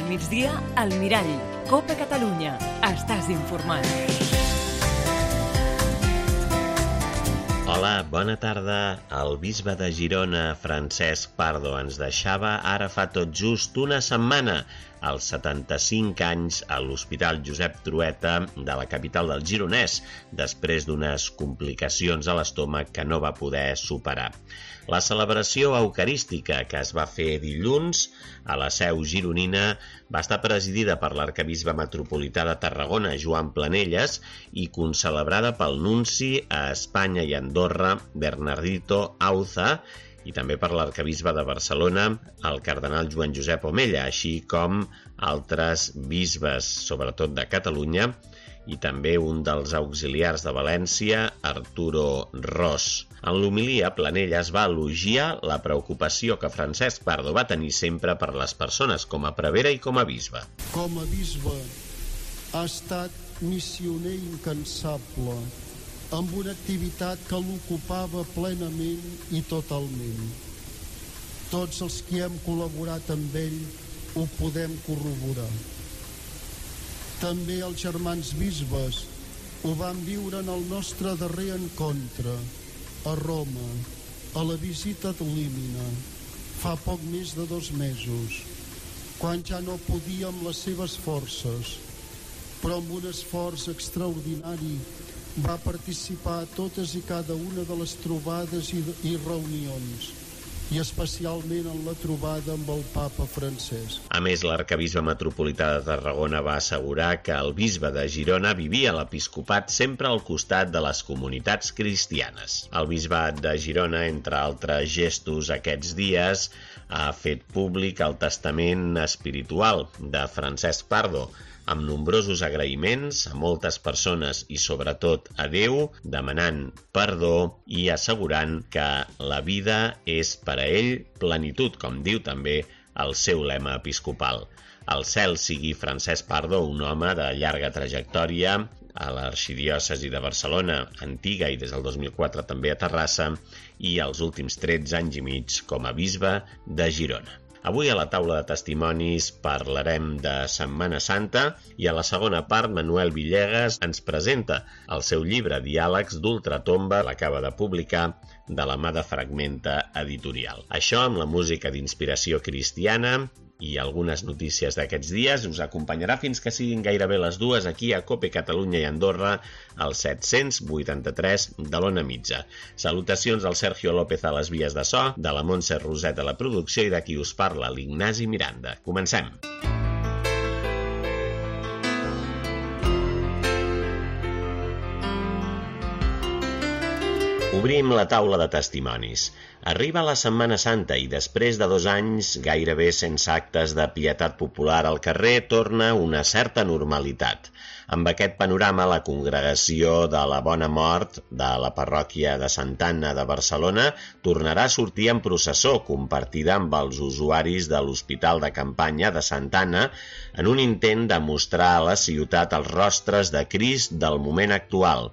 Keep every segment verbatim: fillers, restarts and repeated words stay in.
migdia, al Mirall. Copa Catalunya. Estàs informat. Hola, bona tarda. El bisbe de Girona, Francesc Pardo, ens deixava ara fa tot just una setmana, als setanta-cinc anys, a l'Hospital Josep Trueta de la capital del Gironès, després d'unes complicacions a l'estómac que no va poder superar. La celebració eucarística que es va fer dilluns a la seu gironina va estar presidida per l'arquebisbe metropolità de Tarragona, Joan Planelles, i concelebrada pel nunci a Espanya i Andorra, Bernardito Auza, i també per l'arquebisbe de Barcelona, el cardenal Joan Josep Omella, així com altres bisbes, sobretot de Catalunya, i també un dels auxiliars de València, Arturo Ros. En l'homilia, Planelles va elogiar la preocupació que Francesc Pardo va tenir sempre per les persones, com a prevere i com a bisbe. Com a bisbe ha estat missioner incansable, amb una activitat que l'ocupava plenament i totalment. Tots els que hem col·laborat amb ell ho podem corroborar. També els germans bisbes ho van viure en el nostre darrer encontre, a Roma, a la visita d'Olímina, fa poc més de dos mesos, quan ja no podia amb les seves forces, però amb un esforç extraordinari va participar a totes i cada una de les trobades i, i reunions, i especialment en la trobada amb el papa Francesc. A més, l'arquebisbe metropolità de Tarragona va assegurar que el bisbe de Girona vivia l'episcopat sempre al costat de les comunitats cristianes. El bisbat de Girona, entre altres gestos aquests dies, ha fet públic el testament espiritual de Francesc Pardo, amb nombrosos agraïments a moltes persones i sobretot a Déu, demanant perdó i assegurant que la vida és per a ell plenitud, com diu també el seu lema episcopal. Al cel sigui Francesc Pardo, un home de llarga trajectòria a l'arxidiòcesi de Barcelona, antiga i des del dos mil quatre també a Terrassa, i els últims tretze anys i mig com a bisbe de Girona. Avui a la taula de testimonis parlarem de Setmana Santa i a la segona part Manuel Villegas ens presenta el seu llibre Diàlegs d'Ultratomba, l'acaba de publicar de la mà de Fragmenta Editorial. Això amb la música d'inspiració cristiana i algunes notícies d'aquests dies us acompanyarà fins que siguin gairebé les dues aquí a Cope Catalunya i Andorra al set-cents vuitanta-tres de l'Ona Mitja. Salutacions del Sergio López a les vies de so, de la Montse Roset a la producció i de qui us parla, l'Ignasi Miranda. Comencem! Obrim la taula de testimonis. Arriba la Setmana Santa i després de dos anys gairebé sense actes de pietat popular al carrer torna una certa normalitat. Amb aquest panorama, la congregació de la Bona Mort de la parròquia de Santa Anna de Barcelona tornarà a sortir en processó compartida amb els usuaris de l'Hospital de Campanya de Santa Anna en un intent de mostrar a la ciutat els rostres de Crist del moment actual.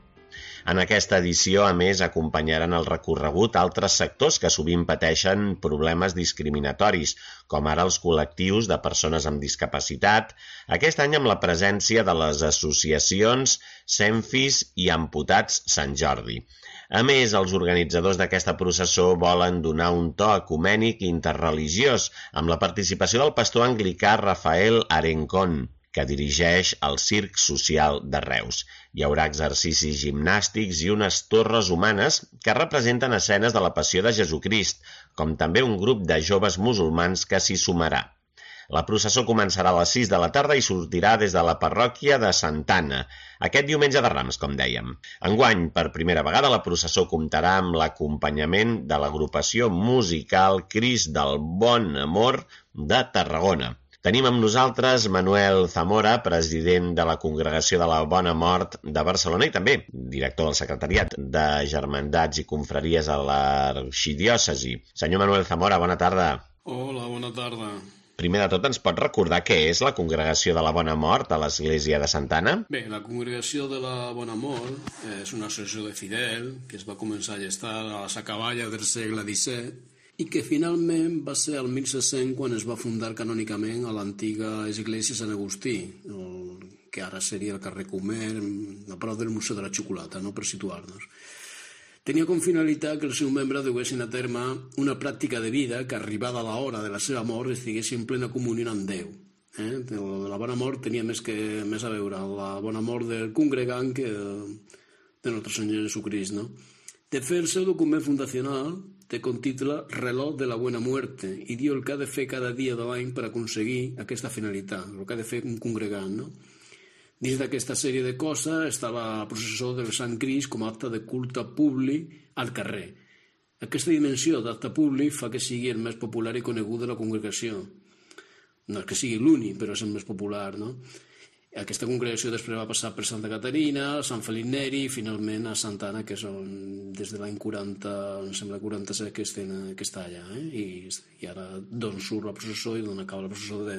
En aquesta edició, a més, acompanyaran el recorregut altres sectors que sovint pateixen problemes discriminatoris, com ara els col·lectius de persones amb discapacitat, aquest any amb la presència de les associacions Senfis i Amputats Sant Jordi. A més, els organitzadors d'aquesta processó volen donar un to ecumènic i interreligiós amb la participació del pastor anglicà Rafael Arencón, que dirigeix el Circ Social de Reus. Hi haurà exercicis gimnàstics i unes torres humanes que representen escenes de la Passió de Jesucrist, com també un grup de joves musulmans que s'hi sumarà. La processó començarà a les sis de la tarda i sortirà des de la parròquia de Santa Anna, aquest diumenge de Rams, com dèiem. Enguany, per primera vegada, la processó comptarà amb l'acompanyament de l'agrupació musical Crist del Bon Amor de Tarragona. Tenim amb nosaltres Manuel Zamora, president de la Congregació de la Bona Mort de Barcelona i també director del Secretariat de Germandats i Confraries a l'Arxidiòcesi. Senyor Manuel Zamora, bona tarda. Hola, bona tarda. Primer de tot, ens pot recordar què és la Congregació de la Bona Mort a l'Església de Santa Anna? Bé, la Congregació de la Bona Mort és una associació de fidel que es va començar a gestar a les acaballes del segle disset i que finalment va ser el mil set-cents quan es va fundar canònicament a l'antiga església Sant Agustí, el, que ara seria el carrer Comer, a prop del Museu de la Xocolata, no? Per situar-nos. Tenia com finalitat que els seus membres duguessin a terme una pràctica de vida que, arribada l'hora de la seva mort, estiguessin en plena comunió amb Déu. Eh? La bona mort tenia més, que, més a veure amb la bona mort del congregant que de Nostre Senyor Jesucrist, no? De fet, el seu document fundacional té com títol Reloj de la Buena Muerte i diu el que ha de fer cada dia de l'any per aconseguir aquesta finalitat, el que ha de fer un congregant, no? Dins d'aquesta sèrie de coses està la processó del Sant Crist com a acte de culte públic al carrer. Aquesta dimensió d'acte públic fa que sigui el més popular i conegut de la congregació. No és que sigui l'únic, però és el més popular, no? Aquesta congregació després va passar per Santa Caterina, Sant Felip Neri i finalment a Santa Anna, que és on, des de l'any quaranta, em sembla quaranta-set que, estem, que està allà, eh? I, i ara d'on surt la processó i d'on acaba la processó de,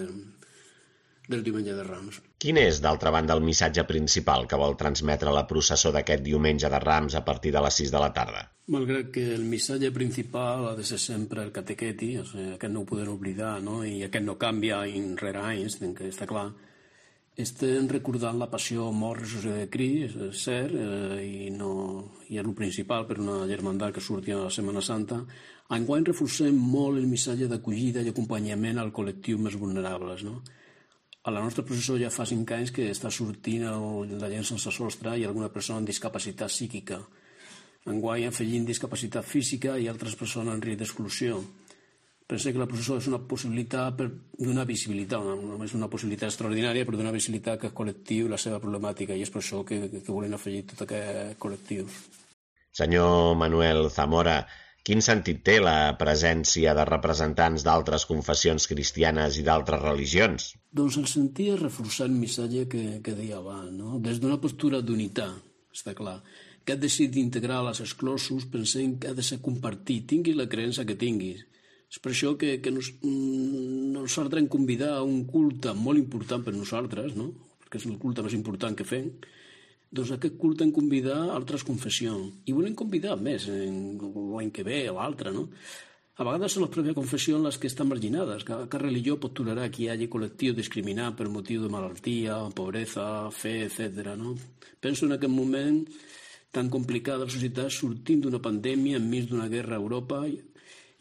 del diumenge de Rams. Quin és, d'altra banda, el missatge principal que vol transmetre la processó d'aquest diumenge de Rams a partir de les sis de la tarda? Malgrat que el missatge principal ha de ser sempre el catequeti, o sigui, aquest no ho podem oblidar, no? I aquest no canvia any rere anys, que està clar, estem recordant la passió, mort, ressuscitació de Crist, és cert, eh, i, no, i és el principal per una germandat que surti a la Setmana Santa. Enguany reforcem molt el missatge d'acollida i acompanyament al col·lectiu més vulnerables, no? A la nostra processó ja fa cinc anys que està sortint el, la gent sense sostre i alguna persona amb discapacitat psíquica. Enguany afegint discapacitat física i altres persones en risc d'exclusió. Penso que la processó és una possibilitat per donar visibilitat, no és una possibilitat extraordinària per donar visibilitat a aquest col·lectiu i la seva problemàtica, i és per això que, que volem afegir tot aquest col·lectiu. Senyor Manuel Zamora, quin sentit té la presència de representants d'altres confessions cristianes i d'altres religions? Doncs el sentit és reforçar el missatge que, que deia abans, no? Des d'una postura d'unitat, està clar. Aquest decidit d'integrar els exclosos pensem que ha de ser compartit, tinguis la creença que tinguis. És per això que, que nos, nosaltres hem convidat a un culte molt important per nosaltres, no? Perquè és el culte més important que fem. Doncs aquest culte hem convidat altres confessions. I volem convidar més l'any que ve o l'altre, no? A vegades són les pròpies confessions les que estan marginades. Cada religió pot tolerar que hi hagi col·lectiu discriminat per motiu de malaltia, pobresa, fe, etcètera, no? Penso en aquest moment tan complicat de la societat, sortint d'una pandèmia enmig d'una guerra a Europa,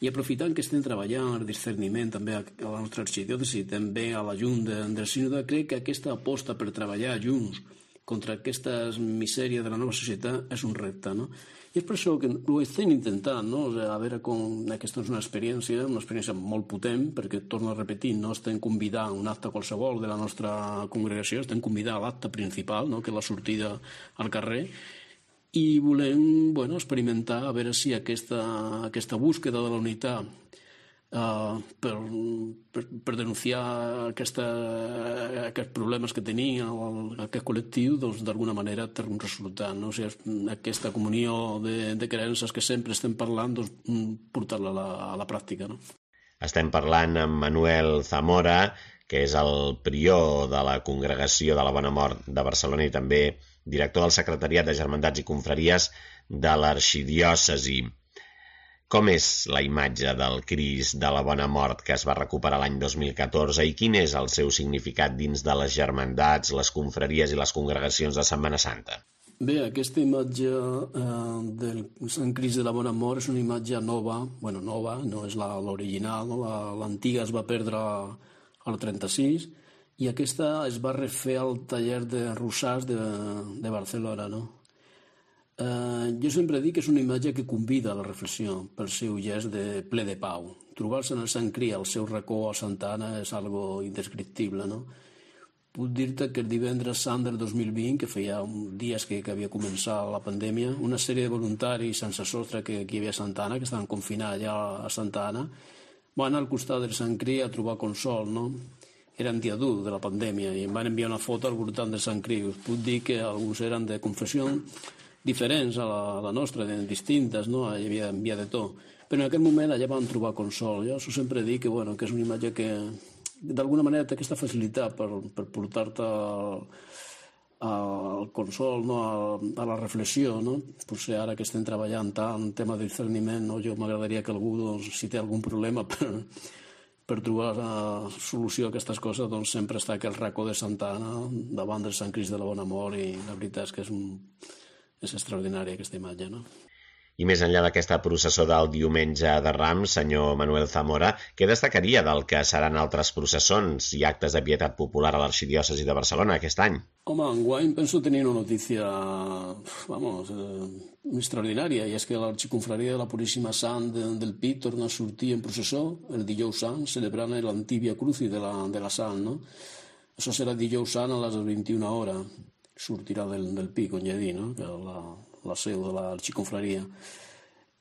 i aprofitant que estem treballant el discerniment també a la nostra arxidiòcesi, també a la Junta de, del Sínode, crec que aquesta aposta per treballar junts contra aquestes misèries de la nova societat és un repte, no? I és per això que ho estem intentant, no? O sigui, a veure com aquesta és una experiència, una experiència molt potent, perquè, torno a repetir, no estem convidant un acte qualsevol de la nostra congregació, estem convidant a l'acte principal, no? Que és la sortida al carrer, i volem, bueno, experimentar a veure si aquesta, aquesta búsqueda de la unitat uh, per, per, per denunciar aquesta, aquests problemes que tenia el, aquest col·lectiu, doncs d'alguna manera té un resultat, no? O sigui, aquesta comunió de, de creences que sempre estem parlant, doncs portar-la a la, a la pràctica, no? Estem parlant amb Manuel Zamora, que és el prior de la Congregació de la Bona Mort de Barcelona i també director del Secretariat de Germandats i Confraries de l'Arxidiòcesi. Com és la imatge del Crist de la Bona Mort que es va recuperar l'any dos mil catorze i quin és el seu significat dins de les germandats, les confraries i les congregacions de Setmana Santa? Bé, aquesta imatge eh, del Sant Crist de la Bona Mort és una imatge nova, bueno, nova, no és l'original, no? L'antiga es va perdre al trenta-sis, i aquesta es va refer al taller de Rosàs de, de Barcelona, no? Eh, jo sempre dic que és una imatge que convida a la reflexió pel seu gest de ple de pau. Trobar-se en el Sant Crist al seu racó a Santa Anna és algo indescriptible, no? Puc dir-te que el divendres sant del dos mil vint, que feia uns dies que, que havia començat la pandèmia, una sèrie de voluntaris sense sostre que, que hi havia a Santa Anna, que estaven confinats allà a Santa Anna, van al costat del Sant Crist a trobar consol, no? Era en dia dur de la pandèmia i em van enviar una foto al voltant del Sant Crist. Us puc dir que alguns eren de confessions diferents a la, a la nostra, distintes, no? Hi havia, hi havia de tot. Però en aquell moment allà van trobar consol. Jo sempre dic que, bueno, que és una imatge que d'alguna manera té aquesta facilitat per, per portar-te al consol, no? a, a la reflexió, no? Potser ara que estem treballant tant en tema de discerniment, no? Jo m'agradaria que algú, doncs, si té algun problema per, per trobar la solució a aquestes coses, doncs sempre està aquell racó de Santa Anna davant del Sant Crist de la Bona Mort, i la veritat és que és, un, és extraordinària aquesta imatge, no? I més enllà d'aquesta processó del diumenge de Rams, senyor Manuel Zamora, què destacaria del que seran altres processons i actes de pietat popular a l'Arxidiòcesi de Barcelona aquest any? Home, enguany penso tenir una notícia, vamos, eh, extraordinària, i és que l'Arxiconfraria de la Puríssima Sant de, del Pi torna a sortir en processó el dijous sant, celebrant l'Antívia Cruci de la, de la Sant, no? Això serà dijous sant a les vint-i-una hores, sortirà del, del Pi, com ja he dit, no? Que la, la seu de l'Arxiconfraria.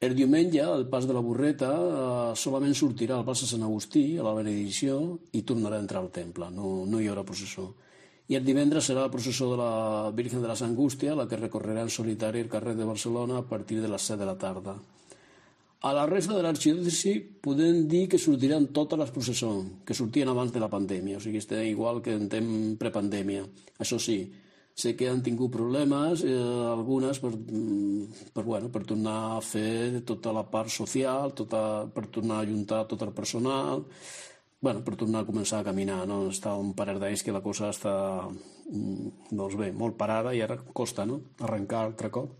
El diumenge, el pas de la Burreta, eh, solament sortirà al pas de Sant Agustí, a la benedicció, i tornarà a entrar al temple, no, no hi haurà processó. I el divendres serà la processó de la Virgen de les Angústies, la que recorrerà en solitari el carrer de Barcelona a partir de les set de la tarda. A la resta de l'arxidiòcesi podem dir que sortiran totes les processons que sortien abans de la pandèmia, o sigui, està igual que en temps prepandèmia. Això sí, sé que han tingut problemes, eh, algunes, per, per, bueno, per tornar a fer tota la part social, tota, per tornar a ajuntar tot el personal, bueno, per tornar a començar a caminar, no? Està un parell d'anys que la cosa està, doncs bé, molt parada, i ara costa, no?, arrencar altre cop.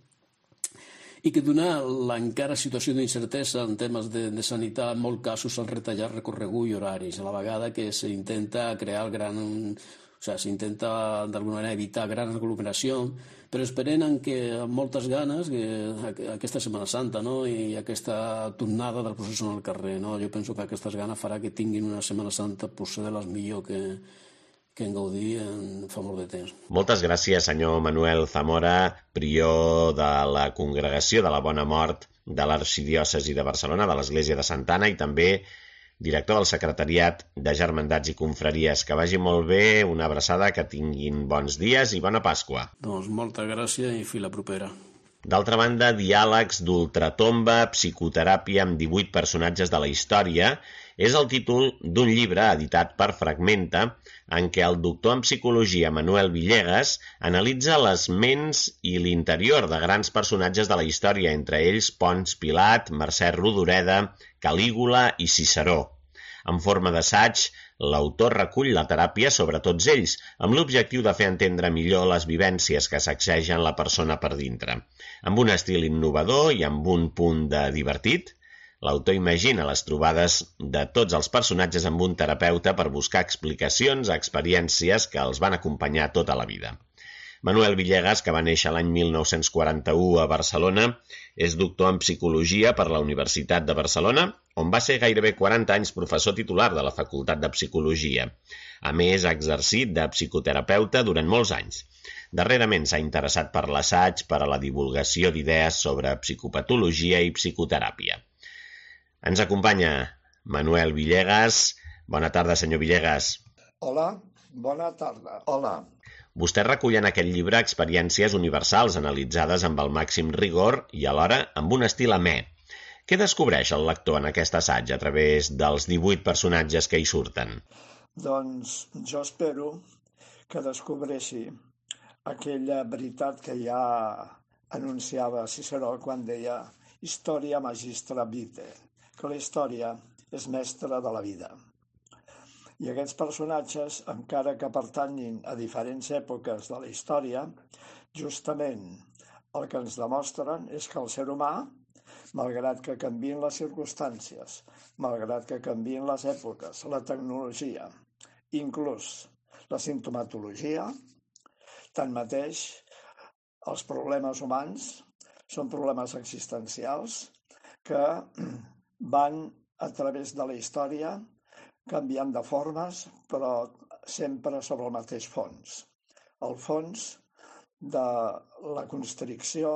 I que donar l'encara situació d'incertesa en temes de, de sanitat, en molts casos s'han retallat recorregut i horaris, a la vegada que s'intenta crear el gran... O sigui, s'intenta d'alguna manera evitar gran aglomeració, però esperem que amb moltes ganes que aquesta Setmana Santa, no?, i aquesta tornada del procés al carrer, no? Jo penso que aquestes ganes farà que tinguin una Setmana Santa potser de les millors que, que en gaudir en fa molt de temps. Moltes gràcies, senyor Manuel Zamora, prior de la Congregació de la Bona Mort de l'Arxidiòcesi de Barcelona, de l'Església de Santa Anna, i també director del Secretariat de Germandats i Confraries. Que vagi molt bé, una abraçada, que tinguin bons dies i bona Pasqua. Doncs moltes gràcies i fins la propera. D'altra banda, Diàlegs d'ultratomba, psicoteràpia amb divuit personatges de la història, és el títol d'un llibre editat per Fragmenta, en què el doctor en psicologia Manuel Villegas analitza les ments i l'interior de grans personatges de la història, entre ells Ponç Pilat, Mercè Rodoreda, Calígula i Ciceró. En forma d'assaig, l'autor recull la teràpia sobre tots ells, amb l'objectiu de fer entendre millor les vivències que sacsegen la persona per dintre. Amb un estil innovador i amb un punt de divertit, l'autor imagina les trobades de tots els personatges amb un terapeuta per buscar explicacions a experiències que els van acompanyar tota la vida. Manuel Villegas, que va néixer l'any mil nou-cents quaranta-u a Barcelona, és doctor en Psicologia per la Universitat de Barcelona, on va ser gairebé quaranta anys professor titular de la Facultat de Psicologia. A més, ha exercit de psicoterapeuta durant molts anys. Darrerament s'ha interessat per l'assaig, per a la divulgació d'idees sobre psicopatologia i psicoteràpia. Ens acompanya Manuel Villegas. Bona tarda, senyor Villegas. Hola, bona tarda. Hola. Vostè recull en aquest llibre experiències universals analitzades amb el màxim rigor i alhora amb un estil amè. Què descobreix el lector en aquest assaig a través dels divuit personatges que hi surten? Doncs jo espero que descobreixi aquella veritat que ja anunciava Ciceró quan deia «Historia magistra vitae», que la història és mestra de la vida. I aquests personatges, encara que pertanyin a diferents èpoques de la història, justament el que ens demostren és que el ser humà, malgrat que canvien les circumstàncies, malgrat que canvien les èpoques, la tecnologia, inclús la simptomatologia, tanmateix, els problemes humans són problemes existencials que van a través de la història canviant de formes, però sempre sobre el mateix fons. El fons de la constricció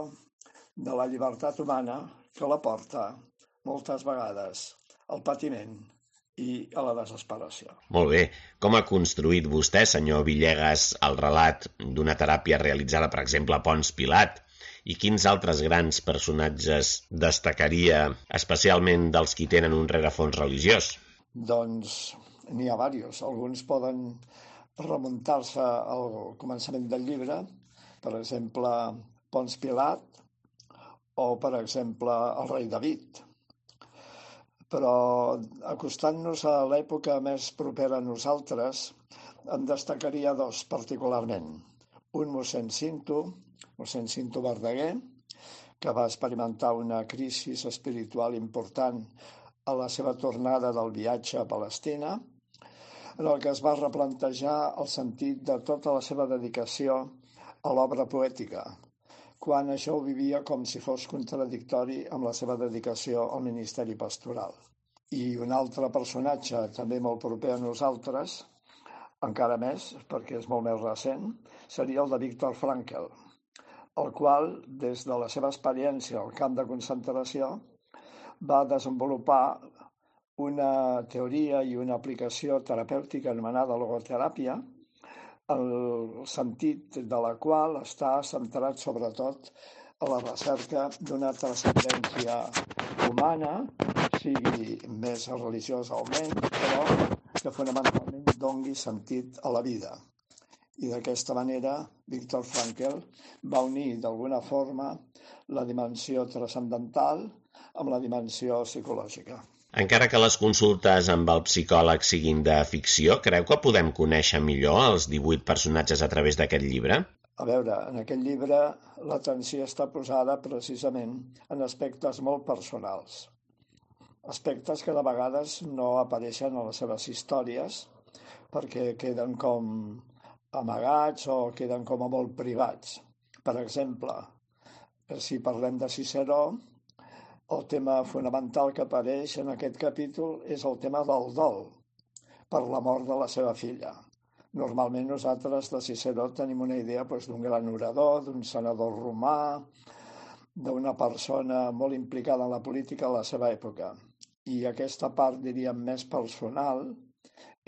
de la llibertat humana que la porta moltes vegades al patiment i a la desesperació. Molt bé. Com ha construït vostè, senyor Villegas, el relat d'una teràpia realitzada, per exemple, a Ponç Pilat? I quins altres grans personatges destacaria, especialment dels qui tenen un rerefons religiós? Doncs n'hi ha diversos. Alguns poden remuntar-se al començament del llibre, per exemple, Pons Pilat o, per exemple, el rei David. Però acostant-nos a l'època més propera a nosaltres, en destacaria dos particularment. Un mossèn Cinto, mossèn Cinto Verdaguer, que va experimentar una crisi espiritual important a la seva tornada del viatge a Palestina, en el que es va replantejar el sentit de tota la seva dedicació a l'obra poètica, quan això ho vivia com si fos contradictori amb la seva dedicació al ministeri pastoral. I un altre personatge també molt proper a nosaltres, encara més, perquè és molt més recent, seria el de Viktor Frankl, el qual, des de la seva experiència al camp de concentració, va desenvolupar una teoria i una aplicació terapèutica anomenada logoteràpia, el sentit de la qual està centrat sobretot a la recerca d'una transcendència humana, sigui més religiosa o menys, però que fonamentalment dongui sentit a la vida. I d'aquesta manera, Viktor Frankl va unir d'alguna forma la dimensió transcendental amb la dimensió psicològica. Encara que les consultes amb el psicòleg siguin de ficció, creu que podem conèixer millor els divuit personatges a través d'aquest llibre? A veure, en aquest llibre l'atenció està posada precisament en aspectes molt personals. Aspectes que de vegades no apareixen a les seves històries perquè queden com amagats o queden com a molt privats. Per exemple, si parlem de Ciceró, el tema fonamental que apareix en aquest capítol és el tema del dol per la mort de la seva filla. Normalment nosaltres de Ciceró tenim una idea doncs, d'un gran orador, d'un senador romà, d'una persona molt implicada en la política a la seva època. I aquesta part, diríem, més personal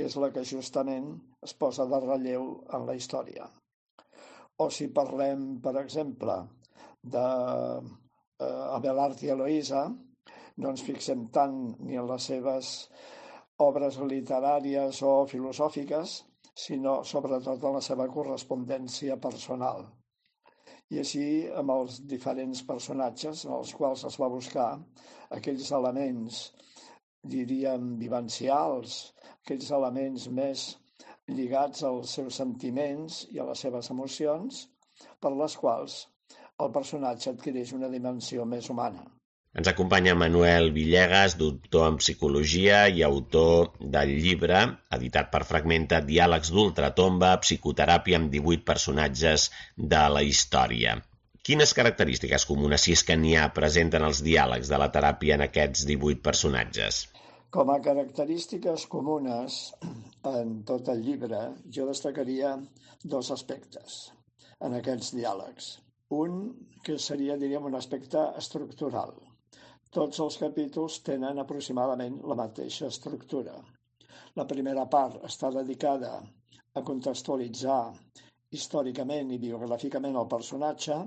és la que justament es posa de relleu en la història. O si parlem, per exemple, d'Abelard i Eloïsa, no ens fixem tant ni en les seves obres literàries o filosòfiques, sinó sobretot en la seva correspondència personal. I així amb els diferents personatges en els quals es va buscar aquells elements, diríem, vivencials, aquells elements més lligats als seus sentiments i a les seves emocions, per les quals el personatge adquireix una dimensió més humana. Ens acompanya Manuel Villegas, doctor en Psicologia i autor del llibre, editat per Fragmenta, Diàlegs d'ultratomba, psicoteràpia amb divuit personatges de la història. Quines característiques comunes, si és que n'hi ha, presenten els diàlegs de la teràpia en aquests divuit personatges? Com a característiques comunes en tot el llibre, jo destacaria dos aspectes en aquests diàlegs. Un, que seria, diríem, un aspecte estructural. Tots els capítols tenen aproximadament la mateixa estructura. La primera part està dedicada a contextualitzar històricament i biogràficament el personatge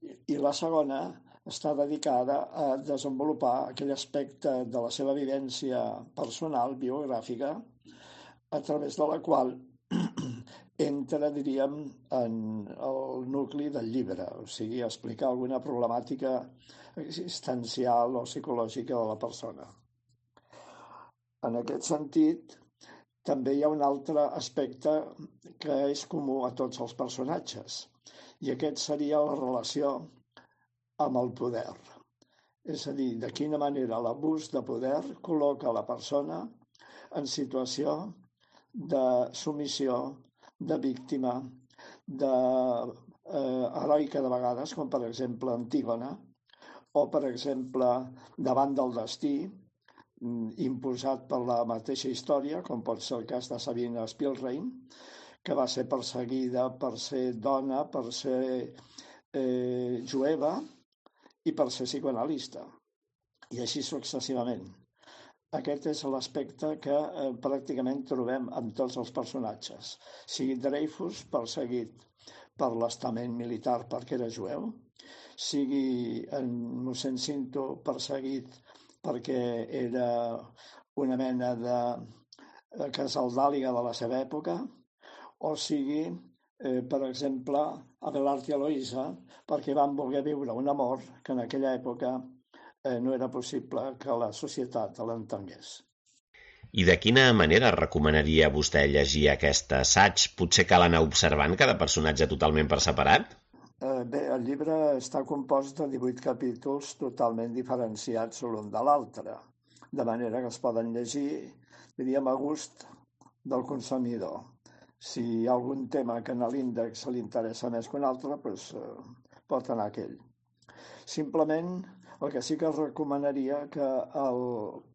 i la segona està dedicada a desenvolupar aquell aspecte de la seva vivència personal, biogràfica, a través de la qual entra, diríem, en el nucli del llibre, o sigui, explicar alguna problemàtica existencial o psicològica de la persona. En aquest sentit, també hi ha un altre aspecte que és comú a tots els personatges, i aquest seria la relació amb el poder. És a dir, de quina manera l'abús de poder col·loca la persona en situació de submissió, de víctima, de eh, heroica de vegades, com per exemple Antígona, o per exemple davant del destí, imposat per la mateixa història, com pot ser el cas de Sabina Spielrein, que va ser perseguida per ser dona, per ser eh, jueva i per ser psicoanalista, i així successivament. Aquest és l'aspecte que eh, pràcticament trobem en tots els personatges. Sigui Dreyfus, perseguit per l'estament militar perquè era jueu, sigui en mossèn Cinto, perseguit perquè era una mena de casaldàliga de la seva època, o sigui, eh, per exemple, Abelard i Eloïsa, perquè van voler viure un amor que en aquella època eh, no era possible que la societat l'entengués. I de quina manera recomanaria vostè llegir aquest assaig? Potser cal anar observant cada personatge totalment per separat? Eh, bé, el llibre està compost de divuit capítols totalment diferenciats l'un de l'altre, de manera que es poden llegir, diríem, a gust del consumidor. Si hi ha algun tema que a l'índex li interessa més que un altre, doncs eh, pot anar aquell. Simplement, el que sí que recomanaria que el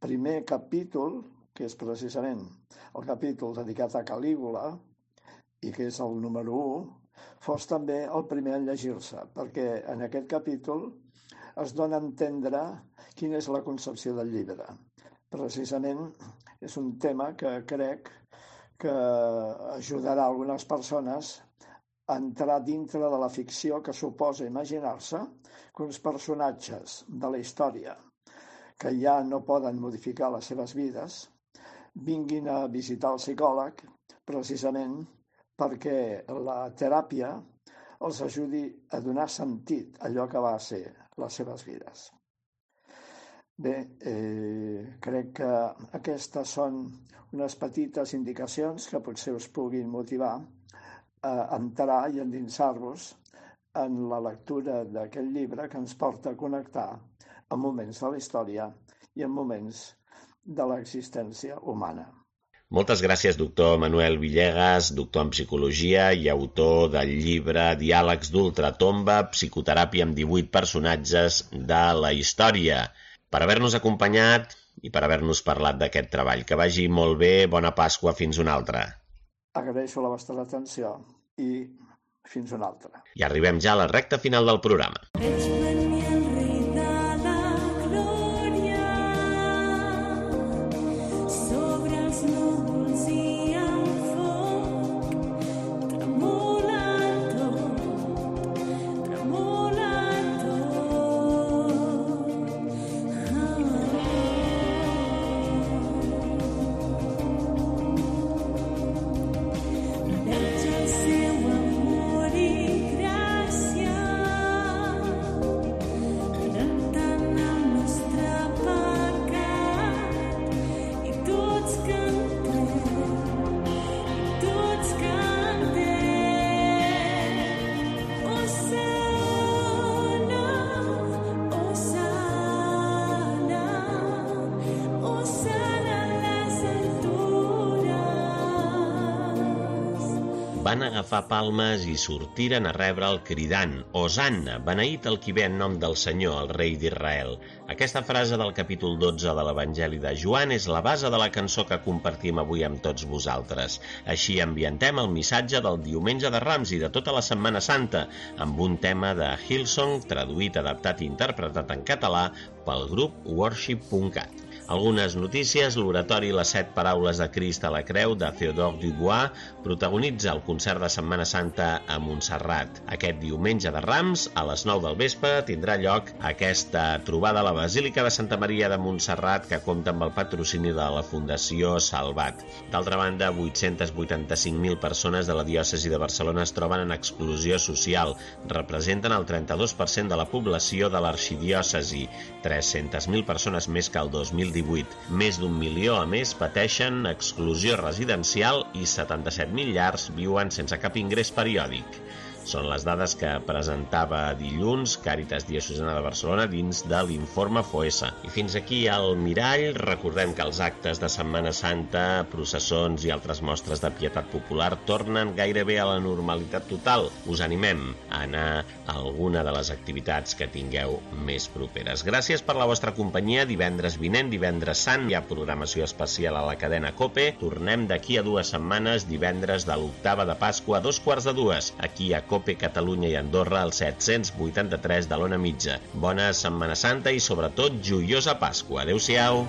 primer capítol, que és precisament el capítol dedicat a Calígula, i que és el número u, fos també el primer en llegir-se, perquè en aquest capítol es dona a entendre quina és la concepció del llibre. Precisament és un tema que crec que ajudarà algunes persones a entrar dintre de la ficció que suposa imaginar-se que uns personatges de la història que ja no poden modificar les seves vides vinguin a visitar el psicòleg precisament perquè la teràpia els ajudi a donar sentit a allò que va ser les seves vides. Bé, eh, crec que aquestes són unes petites indicacions que potser us puguin motivar a entrar i endinsar-vos en la lectura d'aquest llibre que ens porta a connectar amb moments de la història i amb moments de l'existència humana. Moltes gràcies, doctor Manuel Villegas, doctor en psicologia i autor del llibre Diàlegs d'ultratomba, psicoteràpia amb divuit personatges de la història, per haver-nos acompanyat i per haver-nos parlat d'aquest treball. Que vagi molt bé, bona Pasqua, fins una altra. Agraeixo la vostra atenció i fins una altra. I arribem ja a la recta final del programa. Van agafar palmes i sortiren a rebre'l cridant «Hosanna, beneït el qui ve en nom del Senyor, el rei d'Israel». Aquesta frase del capítol dotze de l'Evangeli de Joan és la base de la cançó que compartim avui amb tots vosaltres. Així ambientem el missatge del diumenge de Rams i de tota la Setmana Santa, amb un tema de Hillsong, traduït, adaptat i interpretat en català pel grup worship punt cat. Algunes notícies: l'oratori Les set paraules de Crist a la creu de Théodore Dubois protagonitza el concert de Setmana Santa a Montserrat. Aquest diumenge de Rams, a les nou del vespre, tindrà lloc aquesta trobada a la Basílica de Santa Maria de Montserrat, que compta amb el patrocini de la Fundació Salvat. D'altra banda, vuit-cents vuitanta-cinc mil persones de la diòcesi de Barcelona es troben en exclusió social. Representen el trenta-dos per cent de la població de l'arxidiòcesi, tres-centes mil persones més que el dos mil divuit. Més d'un milió, a més, pateixen exclusió residencial i setanta-set mil llars viuen sense cap ingrés periòdic. Són les dades que presentava dilluns Càritas Diocesana de Barcelona dins de l'informe Foessa. I fins aquí al mirall. Recordem que els actes de Setmana Santa, processons i altres mostres de pietat popular tornen gairebé a la normalitat total. Us animem a anar a alguna de les activitats que tingueu més properes. Gràcies per la vostra companyia. Divendres vinent, divendres sant, hi ha programació especial a la cadena COPE. Tornem d'aquí a dues setmanes, divendres de l'octava de Pasqua, a dos quarts de dues, aquí a COPE Catalunya i Andorra, al set-cents vuitanta-tres de l'Ona Mitja. Bona Setmana Santa i, sobretot, joiosa Pasqua. Adéu-siau!